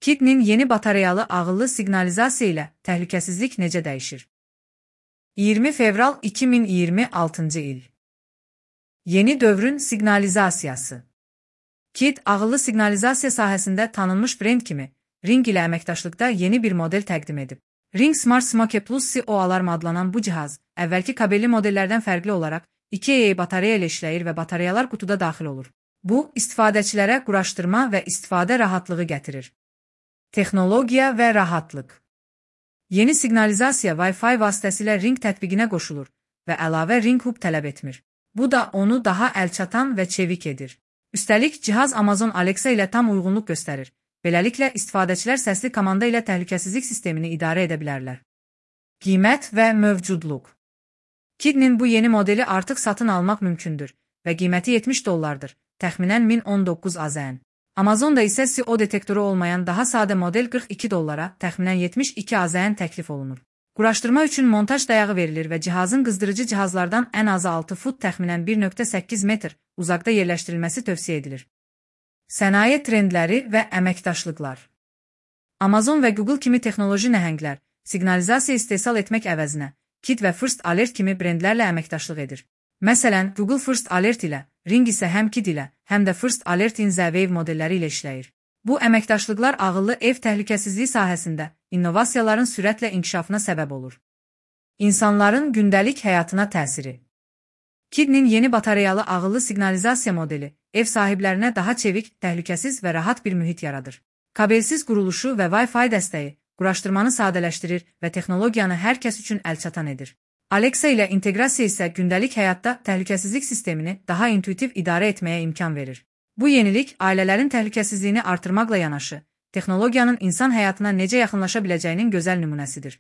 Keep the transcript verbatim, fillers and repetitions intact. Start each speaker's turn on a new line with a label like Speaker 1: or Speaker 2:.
Speaker 1: Kid'nin yeni batareyalı ağıllı siqnalizasiya ilə təhlükəsizlik necə dəyişir? iyirmi fevral iki min iyirmi altıncı il. Yeni dövrün siqnalizasiyası. Kid, ağıllı siqnalizasiya sahəsində tanınmış brend kimi Ring ilə əməkdaşlıqda yeni bir model təqdim edib. Ring Smart Smoke Plus C O alarm adlanan bu cihaz, əvvəlki kabelli modellərdən fərqli olaraq iki A A batareya ilə işləyir və batareyalar qutuda daxil olur. Bu, istifadəçilərə quraşdırma və istifadə rahatlığı gətirir. Texnologiya və rahatlıq. Yeni siqnalizasiya Wi-Fi vasitəsilə Ring tətbiqinə qoşulur və əlavə Ring Hub tələb etmir. Bu da onu daha əlçatan və çevik edir. Üstəlik, cihaz Amazon Alexa ilə tam uyğunluq göstərir. Beləliklə, istifadəçilər səsli komanda ilə təhlükəsizlik sistemini idarə edə bilərlər. Qiymət və mövcudluq. Kid'nin bu yeni modeli artıq satın almaq mümkündür və qiyməti yetmiş dollardır, təxminən min on doqquz AZN. Amazonda isə C O detektoru olmayan daha sadə model qırx iki dollara, təxminən yetmiş iki AZN təklif olunur. Quraşdırma üçün montaj dayağı verilir və cihazın qızdırıcı cihazlardan ən azı altı fut, təxminən bir nöqtə səkkiz metr uzaqda yerləşdirilməsi tövsiyə edilir. Sənaye trendləri və əməkdaşlıqlar. Amazon və Google kimi texnoloji nəhənglər siqnalizasiya istehsal etmək əvəzinə Kid və First Alert kimi brendlərlə əməkdaşlıq edir. Məsələn, Google First Alert ilə, Ring isə həm Kid ilə, həm də First Alert'in Z-Wave modelləri ilə işləyir. Bu əməkdaşlıqlar ağıllı ev təhlükəsizliyi sahəsində innovasiyaların sürətlə inkişafına səbəb olur. İnsanların gündəlik həyatına təsiri. Kid'nin yeni batareyalı ağıllı siqnalizasiya modeli ev sahiblərinə daha çevik, təhlükəsiz və rahat bir mühit yaradır. Kabelsiz quruluşu və Wi-Fi dəstəyi quraşdırmanı sadələşdirir və texnologiyanı hər kəs üçün əlçatan edir. Alexa ilə inteqrasiya isə gündəlik həyatda təhlükəsizlik sistemini daha intuitiv idarə etməyə imkan verir. Bu yenilik ailələrin təhlükəsizliyini artırmaqla yanaşı, texnologiyanın insan həyatına necə yaxınlaşa biləcəyinin gözəl nümunəsidir.